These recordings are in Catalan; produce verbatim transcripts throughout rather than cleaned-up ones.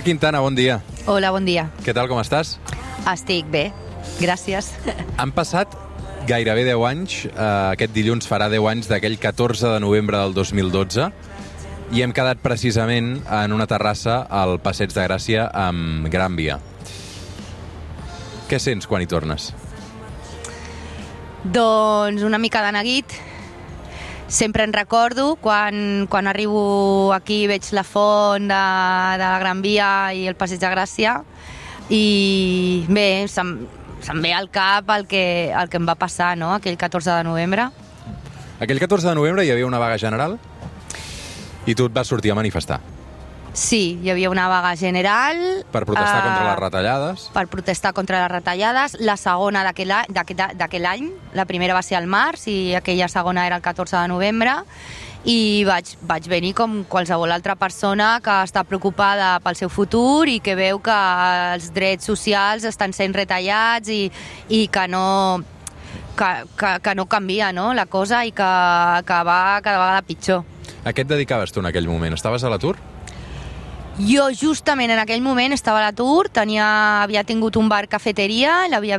Quintana, bon dia. Hola, bon dia. Què tal, com estàs? Estic bé, gràcies. Han passat gairebé deu anys, eh, aquest dilluns farà deu anys d'aquell catorze de novembre del dos mil dotze, i hem quedat precisament en una terrassa al Passeig de Gràcia amb Gran Via. Què sents quan hi tornes? Doncs una mica de neguit. Sempre en recordo quan, quan arribo aquí i veig la font de, de la Gran Via i el Passeig de Gràcia, i bé, se'm, se'm ve al cap el que, el que em va passar, no?, aquell catorze de novembre. Aquell catorze de novembre hi havia una vaga general i tu et vas sortir a manifestar. Sí, hi havia una vaga general. Per protestar eh, contra les retallades. Per protestar contra les retallades. La segona d'aquell any, la primera va ser al març i aquella segona era el catorze de novembre. I vaig, vaig venir com qualsevol altra persona que està preocupada pel seu futur i que veu que els drets socials estan sent retallats i, i que no... Que, que, que no canvia, no?, la cosa, i que, que va cada vegada pitjor. A què et dedicaves tu en aquell moment? Estaves a l'atur? Jo justament en aquell moment estava a l'atur, tenia, havia tingut un bar cafeteria, l'havia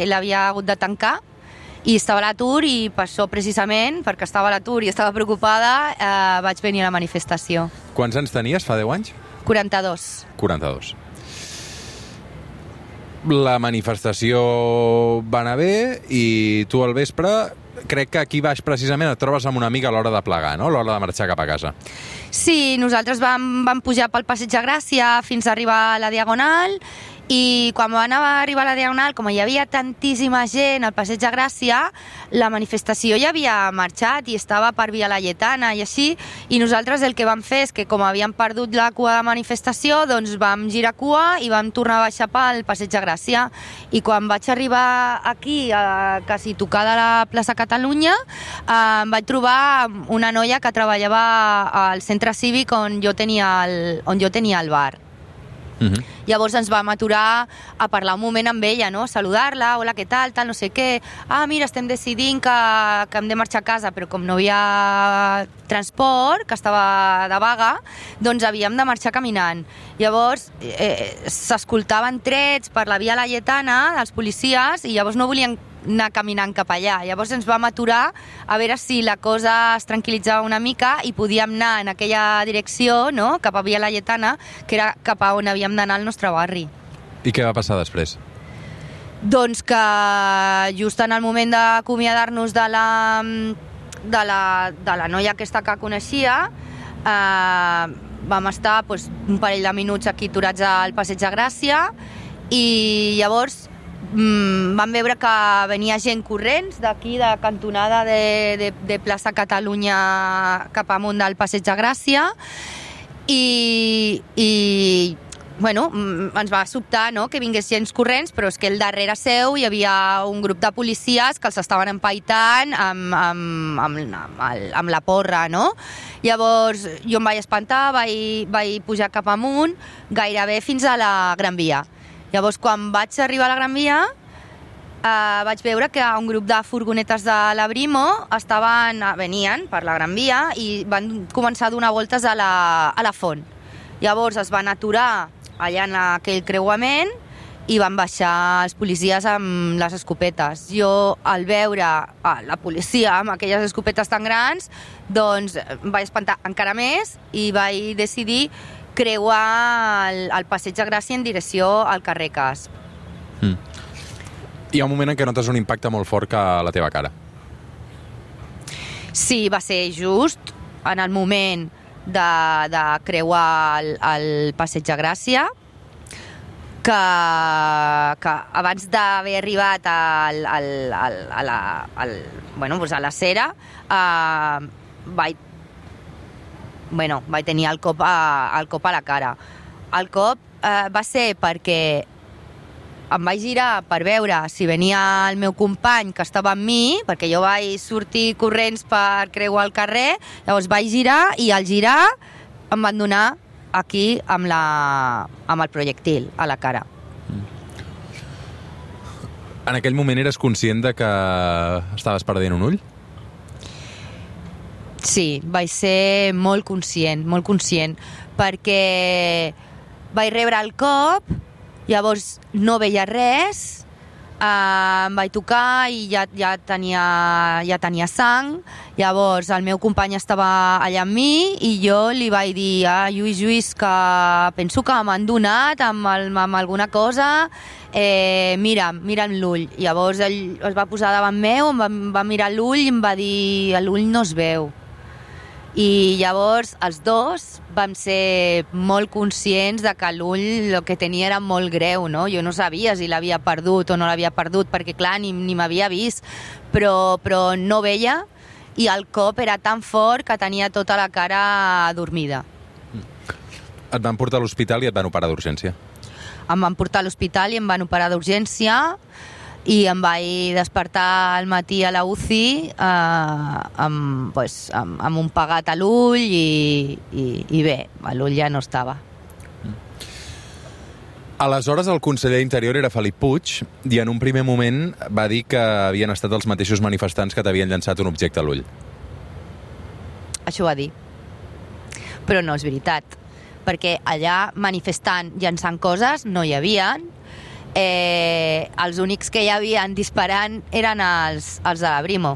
l'havia hagut de tancar, i estava a l'atur, i per això precisament, perquè estava a l'atur i estava preocupada, eh, vaig venir a la manifestació. Quants anys tenies fa deu anys? quaranta-dos. quaranta-dos. La manifestació va anar bé i tu al vespre, crec que aquí baix precisament et trobes amb una amiga a l'hora de plegar, no?, a l'hora de marxar cap a casa. Sí, nosaltres vam, vam pujar pel Passeig de Gràcia fins a arribar a la Diagonal, i quan vam arribar a la Diagonal, com hi havia tantíssima gent al Passeig de Gràcia, la manifestació ja havia marxat i estava per Via Laietana i així, i nosaltres el que vam fer és que, com havíem perdut la cua de manifestació, doncs vam girar cua i vam tornar a baixar pel Passeig de Gràcia. I quan vaig arribar aquí, a quasi tocar de la plaça Catalunya, eh, em vaig trobar una noia que treballava al centre cívic on jo tenia el, on jo tenia el bar. Uh-huh. Llavors ens vam aturar a parlar un moment amb ella, no?, a saludar-la, hola, què tal, tal, no sé què, ah, mira, estem decidint que, que hem de marxar a casa, però com no hi havia transport, que estava de vaga, doncs havíem de marxar caminant. Llavors eh, s'escoltaven trets per la Via Laietana dels policies i llavors no volien anar caminant cap allà. Llavors ens vam aturar a veure si la cosa es tranquil·litzava una mica i podíem anar en aquella direcció, no?, cap a Via Laietana, que era cap a on havíem d'anar al nostre barri. I què va passar després? Doncs que just en el moment d'acomiadar-nos de la, de, la, de la noia aquesta que coneixia, eh, vam estar doncs, un parell de minuts aquí aturats al Passeig de Gràcia, i llavors Mm, vam veure que venia gent corrents d'aquí, de cantonada de, de, de plaça Catalunya cap amunt del Passeig de Gràcia, i, i bueno, ens va sobtar, no?, que vingués gent corrents, però és que al darrere seu hi havia un grup de policies que els estaven empaitant amb, amb, amb, amb, el, amb la porra, no? Llavors jo em vaig espantar, vaig, vaig pujar cap amunt gairebé fins a la Gran Via. Llavors, quan vaig arribar a la Gran Via, eh, vaig veure que un grup de furgonetes de la Brimo estaven, venien per la Gran Via i van començar a donar voltes a la, a la font. Llavors es van aturar allà en aquell creuament i van baixar els policies amb les escopetes. Jo, al veure la policia amb aquelles escopetes tan grans, doncs em vaig espantar encara més i vaig decidir creuar el, el Passeig de Gràcia en direcció al carrer Cas. Mm. Hi ha un moment en què notes un impacte molt fort que a la teva cara. Sí, va ser just en el moment de, de creuar el, el Passeig de Gràcia, que, que abans d'haver arribat al, al, al, a la, al, bueno, doncs a la Cera, eh, vaig Bueno, vaig tenir el cop a, el cop a la cara. El cop eh, va ser perquè em vaig girar per veure si venia el meu company que estava amb mi, perquè jo vaig sortir corrents per creuar el carrer, llavors vaig girar i al girar em van donar aquí amb, la, amb el projectil a la cara. En aquell moment eres conscient de que estaves perdent un ull? Sí, vaig ser molt conscient, molt conscient, perquè vaig rebre el cop, llavors no veia res, uh, em vaig tocar i ja, ja, tenia, ja tenia sang. Llavors el meu company estava allà amb mi i jo li vaig dir ah, Lluís, Lluís, que penso que m'han donat amb, el, amb alguna cosa, eh, mira, mira'm l'ull. Llavors ell es va posar davant meu, em va, em va mirar l'ull i em va dir l'ull no es veu. I llavors els dos vam ser molt conscients de que l'ull el que tenia era molt greu, no? Jo no sabia si l'havia perdut o no l'havia perdut, perquè clar, ni, ni m'havia vist, però, però no veia i el cop era tan fort que tenia tota la cara dormida. Et van portar a l'hospital i et van operar d'urgència? Em van portar a l'hospital i em van operar d'urgència i em vaig despertar al matí a la U C I eh, amb, pues, amb, amb un pegat a l'ull i, i, i bé, l'ull ja no estava. Aleshores el conseller d'Interior era Felip Puig i en un primer moment va dir que havien estat els mateixos manifestants que t'havien llançat un objecte a l'ull. Això va dir. Però no és veritat, perquè allà manifestant, llançant coses, no hi havien. Eh, els únics que hi havien disparant eren els, els de la Brimo.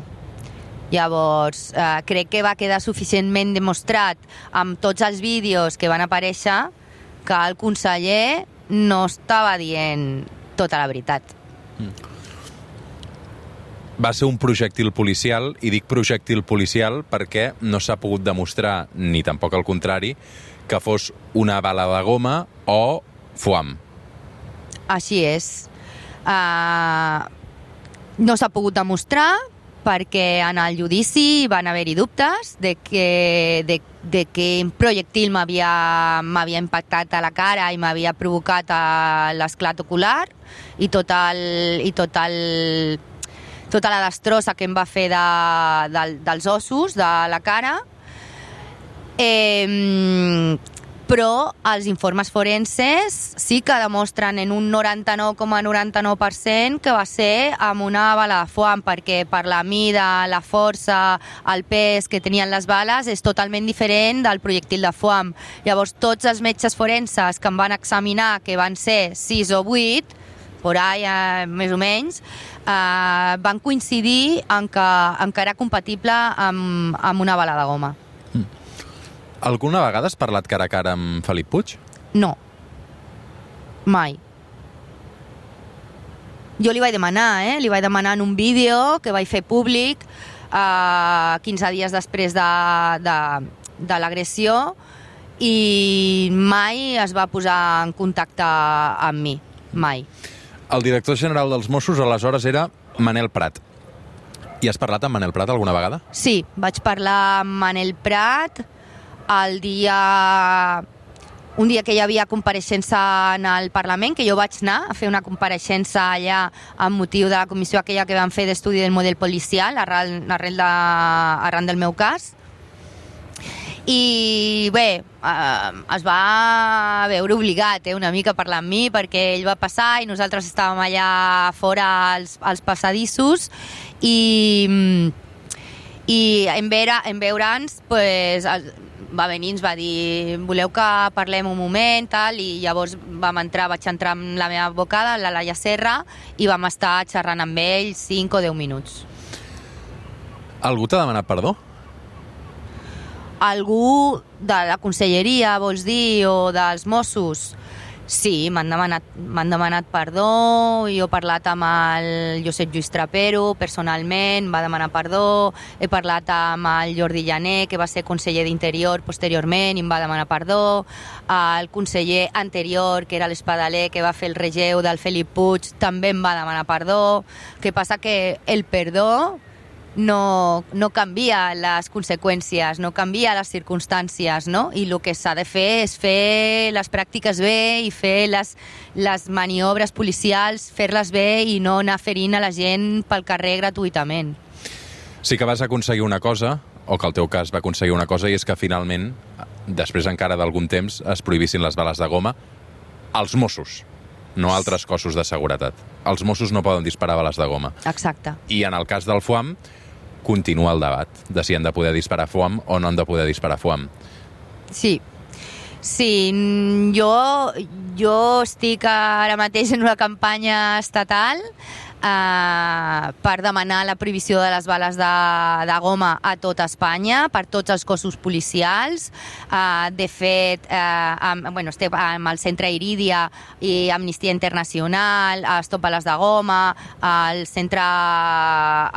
Llavors, eh, crec que va quedar suficientment demostrat amb tots els vídeos que van aparèixer que el conseller no estava dient tota la veritat. Va ser un projectil policial, i dic projectil policial perquè no s'ha pogut demostrar, ni tampoc el contrari, que fos una bala de goma o foam. Així és. Uh, no s'ha pogut demostrar perquè en el judici van haver-hi dubtes de que, de, de que un projectil m'havia impactat a la cara i m'havia provocat l'esclat ocular i, tot el, i tot el, tota la destrossa que em va fer de, de, dels ossos de la cara. Eh, però els informes forenses sí que demostren en un noranta-nou coma noranta-nou per cent que va ser amb una bala de foam, perquè per la mida, la força, el pes que tenien les bales és totalment diferent del projectil de foam. Llavors tots els metges forenses que em van examinar, que van ser sis o vuit, por ahí, eh, més o menys, eh, van coincidir en que, en que era compatible amb, amb una bala de goma. Alguna vegada has parlat cara a cara amb Felip Puig? No. Mai. Jo li vaig demanar, eh? Li vaig demanar en un vídeo que vaig fer públic eh, quinze dies després de, de, de l'agressió i mai es va posar en contacte amb mi. Mai. El director general dels Mossos aleshores era Manel Prat. I has parlat amb Manel Prat alguna vegada? Sí, vaig parlar amb Manel Prat el dia... un dia que hi havia compareixença en el Parlament, que jo vaig anar a fer una compareixença allà amb motiu de la comissió aquella que van fer d'estudi del model policial arrel, arrel de, arran del meu cas. I bé, eh, es va veure obligat eh, una mica a parlar amb mi perquè ell va passar i nosaltres estàvem allà fora als, als passadissos i, i en, veure, en veure'ns pues, va venir i ens va dir voleu que parlem un moment tal, i llavors vam entrar, vaig entrar amb la meva advocada, la Laia Serra, i vam estar xerrant amb ell cinc o deu minuts. Algú t'ha demanat perdó? Algú de la conselleria, vols dir, o dels Mossos? Sí, m'han demanat, m'han demanat perdó, jo he parlat amb el Josep Lluís Trapero personalment, va demanar perdó, he parlat amb el Jordi Llaner, que va ser conseller d'Interior posteriorment, i em va demanar perdó, el conseller anterior, que era l'Espadaler, que va fer el relleu del Felip Puig, també em va demanar perdó. Què passa? Que el perdó no, no canvia les conseqüències, no canvia les circumstàncies, no? I el que s'ha de fer és fer les pràctiques bé i fer les, les maniobres policials, fer-les bé i no anar ferint a la gent pel carrer gratuïtament. Sí que vas aconseguir una cosa, o que el teu cas va aconseguir una cosa, i és que finalment, després encara d'algun temps, es prohibissin les bales de goma als Mossos, no altres cossos de seguretat. Els Mossos no poden disparar bales de goma. Exacte. I en el cas del foam, continua el debat de si han de poder disparar foam o no han de poder disparar foam. Sí. Sí, jo, jo estic ara mateix en una campanya estatal Uh, per demanar la prohibició de les bales de, de goma a tota Espanya, per tots els cossos policials. Uh, de fet, uh, amb, bueno, estem amb el Centre Iridia i Amnistia Internacional, uh, Stop Bales de Goma, el Centre,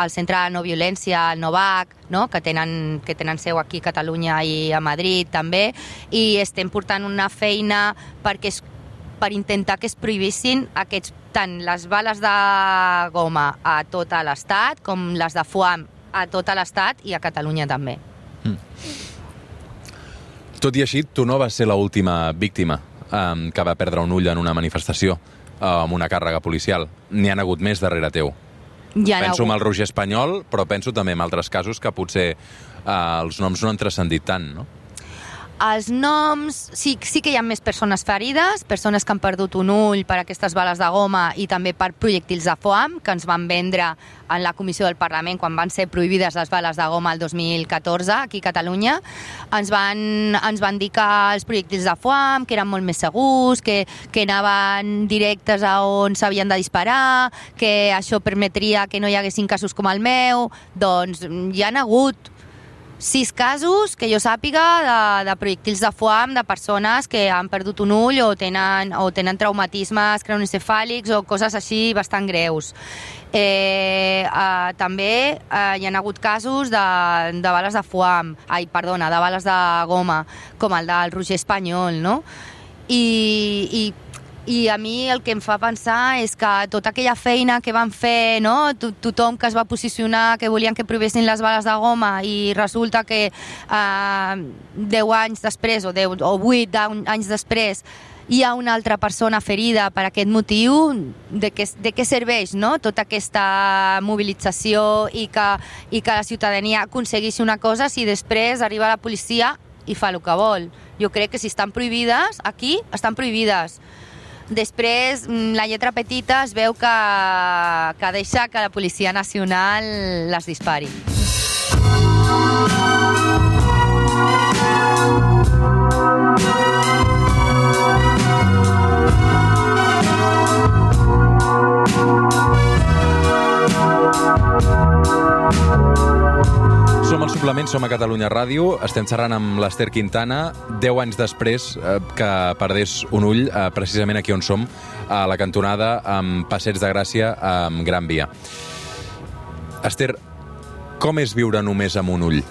el Centre de No Violència, el Novac, no? que, tenen, que tenen seu aquí a Catalunya i a Madrid també, i estem portant una feina perquè es per intentar que es prohibissin aquests, tant les bales de goma a tot l'Estat com les de foam a tot l'Estat i a Catalunya també. Mm. Tot i així, tu no vas ser l'última víctima um, que va perdre un ull en una manifestació uh, amb una càrrega policial. N'hi han hagut més darrere teu. Ja penso en el Roger Espanyol, però penso també en altres casos que potser uh, els noms no han transcendit tant, no? Els noms, sí, sí que hi ha més persones ferides, persones que han perdut un ull per aquestes bales de goma i també per projectils de foam que ens van vendre en la Comissió del Parlament quan van ser prohibides les bales de goma el dos mil catorze aquí a Catalunya. Ens van, ens van dir que els projectils de foam que eren molt més segurs, que, que anaven directes a on s'havien de disparar, que això permetria que no hi haguessin casos com el meu. Doncs hi ha hagut sis casos, que jo sàpiga, de, de projectils de foam de persones que han perdut un ull o tenen, o tenen traumatismes craneoencefàlics o coses així bastant greus. Eh, eh, també eh, hi ha hagut casos de, de bales de foam, ai, perdona, de bales de goma, com el del Roger Espanyol, no? I, i I a mi el que em fa pensar és que tota aquella feina que van fer, no? Tothom que es va posicionar, que volien que prohibessin les bales de goma i resulta que eh, deu anys després o, deu, o vuit anys després hi ha una altra persona ferida per aquest motiu, de què, de què serveix, no? Tota aquesta mobilització i que, i que la ciutadania aconsegueixi una cosa si després arriba la policia i fa el que vol. Jo crec que si estan prohibides, aquí estan prohibides. Després, la lletra petita es veu que, que deixa que la Policia Nacional les dispari. Som al Suplement, som a Catalunya Ràdio, estem xerrant amb l'Ester Quintana, deu anys després eh, que perdés un ull, eh, precisament aquí on som, a la cantonada amb Passeig de Gràcia, amb Gran Via. Ester, com és viure només amb un ull?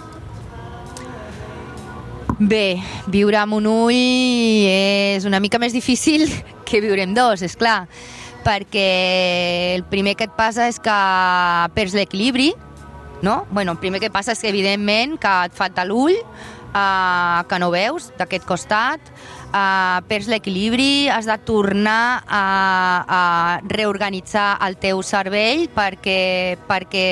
Bé, viure amb un ull és una mica més difícil que viure amb dos, és clar, perquè el primer que et passa és que perds l'equilibri, no? Bueno, el primer que passa és que, evidentment, que et falta l'ull, eh, que no veus d'aquest costat, eh, perds l'equilibri, has de tornar a, a reorganitzar el teu cervell perquè, perquè,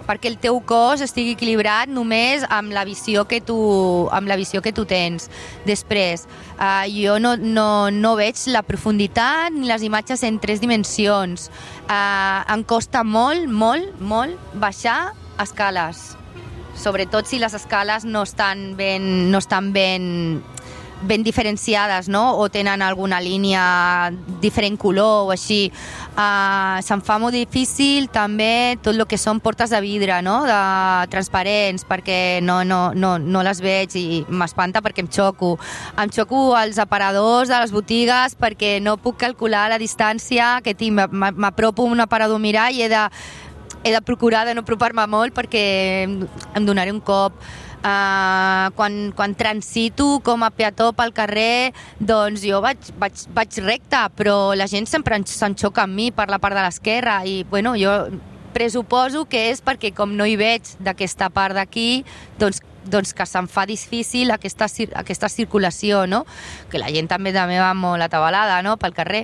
perquè el teu cos estigui equilibrat només amb la visió que tu, amb la visió que tu tens. Després, eh, jo no, no, no veig la profunditat ni les imatges en tres dimensions. Eh, em costa molt, molt, molt baixar escales, sobretot si les escales no estan ben, no estan ben, ben diferenciades, no? O tenen alguna línia diferent color o així. Uh, se'm fa molt difícil també tot el que són portes de vidre, no? De transparents, perquè no, no, no, no les veig i m'espanta perquè em xoco. Em xoco als aparadors de les botigues perquè no puc calcular la distància que tinc. M'apropo a un aparador a mirar i he de he de procurar de no apropar-me molt perquè em donaré un cop. Uh, quan, quan transito com a peató pel carrer, doncs jo vaig, vaig, vaig recte, però la gent sempre s'enxoca amb mi per la part de l'esquerra i bueno, jo presuposo que és perquè com no hi veig d'aquesta part d'aquí, doncs doncs que se'm fa difícil aquesta, aquesta circulació, no? Que la gent també també va molt atabalada, no? Pel carrer.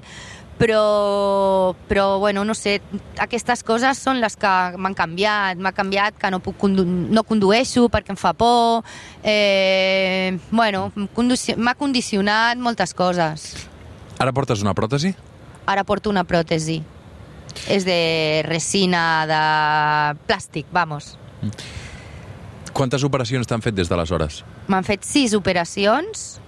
Però, però bueno, no sé, aquestes coses són les que m'han canviat. M'ha canviat que no, puc condu no condueixo perquè em fa por. Eh, bueno, m'ha condicionat moltes coses. Ara portes una pròtesi? Ara porto una pròtesi. És de resina, de plàstic, vamos. Quantes operacions t'han fet des d'aleshores? M'han fet sis operacions.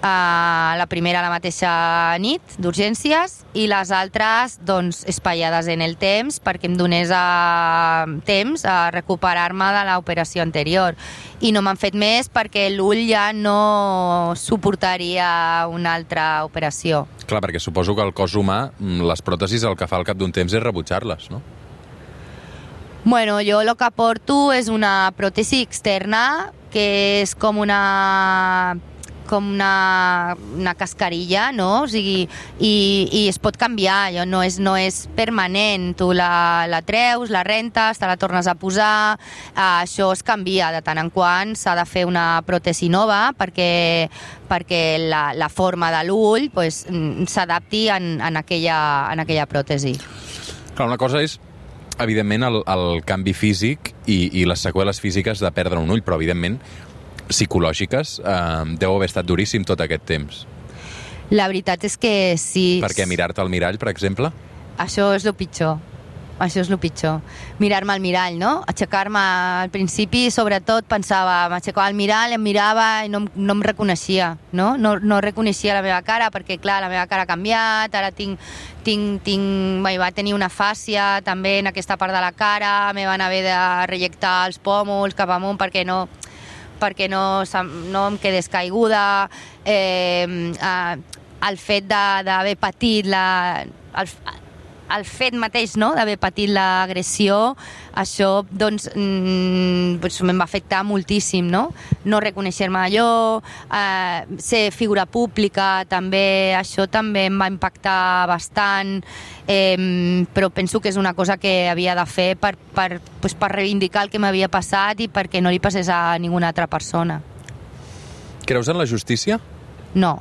Uh, la primera la mateixa nit, d'urgències, i les altres, doncs, espaiades en el temps perquè em donés a... temps a recuperar-me de l'operació anterior. I no m'han fet més perquè l'ull ja no suportaria una altra operació. Clar, perquè suposo que el cos humà, les pròtesis, el que fa al cap d'un temps és rebutjar-les, no? Bueno, jo el que porto és una pròtesi externa que és com una... com una, una cascarilla, no? O sigui, i, i es pot canviar, allò no és, no és permanent. Tu la, la treus, la rentes, te la tornes a posar, eh, això es canvia de tant en quant, s'ha de fer una pròtesi nova perquè, perquè la, la forma de l'ull pues, s'adapti en, en, aquella, en aquella pròtesi. Clar, una cosa és evidentment el, el canvi físic i, i les seqüeles físiques de perdre un ull, però evidentment psicològiques, eh, deu haver estat duríssim tot aquest temps. La veritat és que sí. Perquè mirar-te al mirall, per exemple? Això és el pitjor. Això és el pitjor. Mirar-me al mirall, no? Aixecar-me al principi, sobretot, pensava, m'aixecava al mirall, em mirava i no, no em reconeixia, no? No, no reconeixia la meva cara, perquè, clar, la meva cara ha canviat, ara tinc, tinc, tinc, va tenir una fàscia també en aquesta part de la cara, me van haver de rejectar els pòmuls cap amunt perquè no... perquè no, no em quedés caiguda, eh, eh, el fet d'haver patit la, el, el fet mateix, no?, d'haver patit l'agressió, això doncs, mm, doncs me'n va afectar moltíssim, no? No reconèixer-me allò, eh, ser figura pública, també, això també em va impactar bastant, eh, però penso que és una cosa que havia de fer per, per, pues, per reivindicar el que m'havia passat i perquè no li passés a ninguna altra persona. Creus en la justícia? No.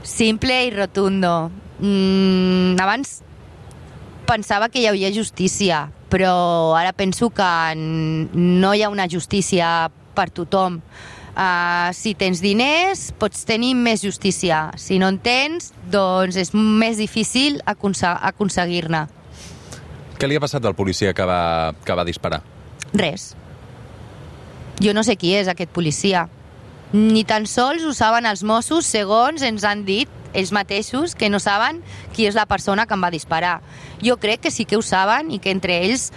Simple i rotundo. Mm, abans pensava que hi havia justícia, però ara penso que no hi ha una justícia per tothom. Uh, si tens diners, pots tenir més justícia. Si no en tens, doncs és més difícil aconseguir-ne. Què li ha passat al policia que va, que va disparar? Res. Jo no sé qui és aquest policia. Ni tan sols ho saben els Mossos, segons ens han dit ells mateixos, que no saben qui és la persona que em va disparar. Jo crec que sí que ho saben i que entre ells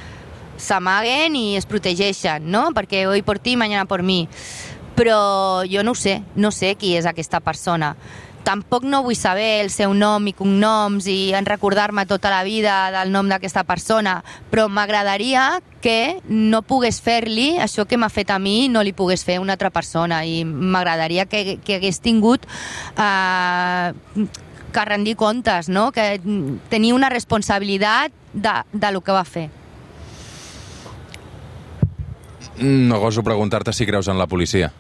s'amaguen i es protegeixen, no? Perquè hoy por ti, mañana por mí. Però jo no ho sé, no sé qui és aquesta persona. Tampoc no vull saber el seu nom i cognoms i en recordar-me tota la vida del nom d'aquesta persona, però m'agradaria que no pogués fer-li això que m'ha fet a mi, no li pogués fer a una altra persona, i m'agradaria que, que hagués tingut eh, que rendir comptes, no? Que tenia una responsabilitat de, de lo que va fer. No goso preguntar-te si creus en la policia.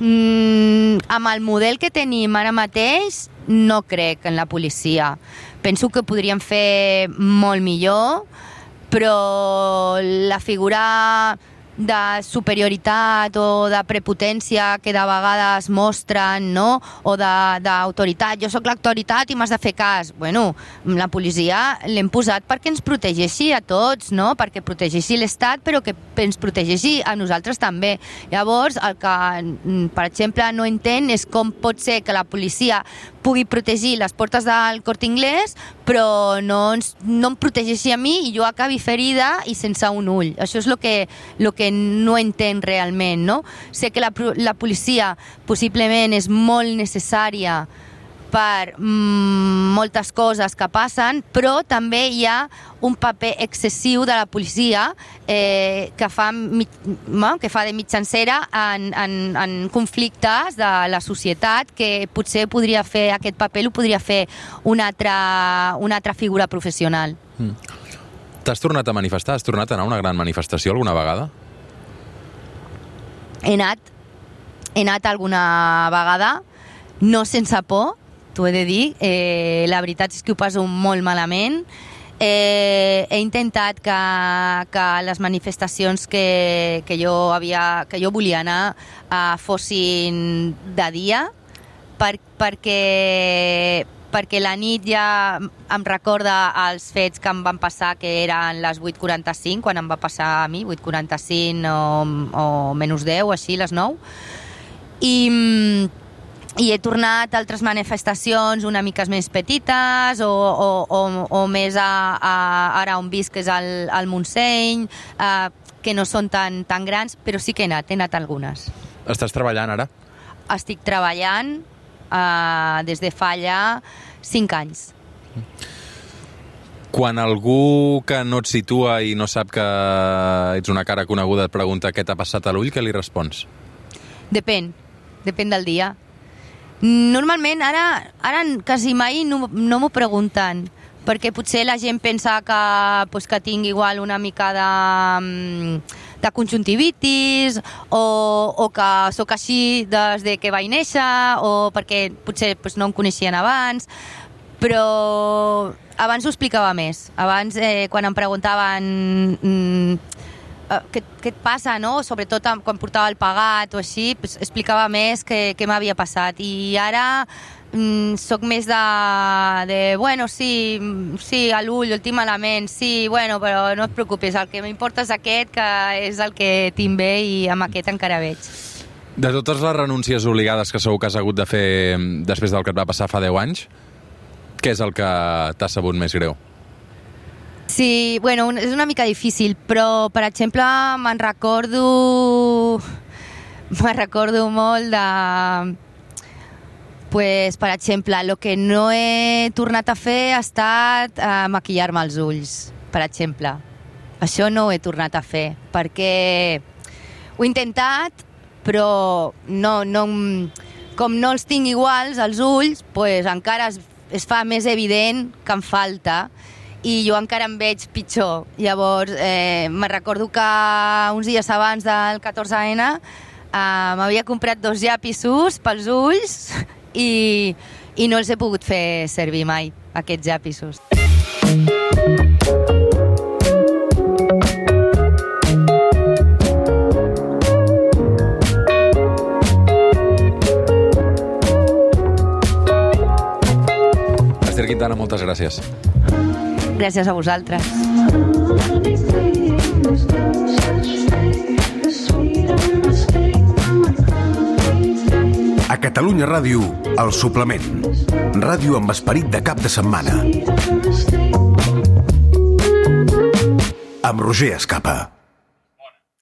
Mm, amb el model que tenim ara mateix, no crec en la policia. Penso que podríem fer molt millor, però la figura de superioritat o de prepotència que de vegades mostren, no? O d'autoritat. Jo sóc l'autoritat i m'has de fer cas. Bueno, la policia l'hem posat perquè ens protegeixi a tots, no? Perquè protegeixi l'Estat, però que ens protegeixi a nosaltres també. Llavors, el que, per exemple, no entenc és com pot ser que la policia pugui protegir les portes del Corte Inglés, però no, ens, no em protegeixi a mi i jo acabi ferida i sense un ull. Això és el que, lo que no entenc realment, no? Sé que la, la policia possiblement és molt necessària per mm, moltes coses que passen, però també hi ha un paper excessiu de la policia eh, que, fa, que fa de mitjancera en, en, en conflictes de la societat, que potser podria fer aquest paper, ho podria fer una altra, una altra figura professional. Mm. T'has tornat a manifestar? Has tornat a anar a una gran manifestació alguna vegada? He anat, he anat alguna vegada, no sense por, t'ho he de dir, eh, la veritat és que ho passo molt malament. Eh, he intentat que, que les manifestacions que, que, jo havia, que jo volia anar eh, fossin de dia, per, perquè perquè la nit ja em recorda els fets que em van passar, que eren les vuit quaranta-cinc, quan em va passar a mi, vuit quaranta-cinc o, o menys deu, així, les nou. I, i he tornat a altres manifestacions una mica més petites o, o, o, o més a, a, ara on visc, que és al, al Montseny, eh, que no són tan, tan grans, però sí que he anat, he anat algunes. Estàs treballant ara? Estic treballant uh, des de fa ja cinc anys. Quan algú que no et situa i no sap que ets una cara coneguda et pregunta què t'ha passat a l'ull, què li respons? Depèn, depèn del dia. Normalment, ara, ara quasi mai no, no m'ho pregunten, perquè potser la gent pensa que, pues, que tinc igual una mica de, de conjuntivitis o, o que sóc així des de que vaig néixer o perquè potser pues, no em coneixien abans, però abans ho explicava més. Abans, eh, quan em preguntaven mm, eh, què, què et passa, no? Sobretot quan portava el pagat o així, pues, explicava més què, què m'havia passat. I ara Mm, soc més de, de bueno, sí, sí, a l'ull, el tinc malament, sí, bueno, però no et preocupis, el que m'importa és aquest, que és el que tinc bé i amb aquest encara veig. De totes les renúncies obligades que segur que has hagut de fer després del que et va passar fa deu anys, què és el que t'ha sabut més greu? Sí, bueno, és una mica difícil, però, per exemple, me'n recordo... me'n recordo molt de... Pues, per exemple, el que no he tornat a fer ha estat eh, maquillar-me els ulls, per exemple. Això no ho he tornat a fer, perquè ho he intentat, però no, no, com no els tinc iguals, els ulls, pues, encara es, es fa més evident que em falta i jo encara em veig pitjor. Llavors, eh, me recordo que uns dies abans del catorze ene eh, m'havia comprat dos llapisos pels ulls i, i no els he pogut fer servir mai, aquests llapisos. Esther Quintana, moltes gràcies. Gràcies a vosaltres. A Catalunya Ràdio, El Suplement. Ràdio amb esperit de cap de setmana. Amb Roger Escapa.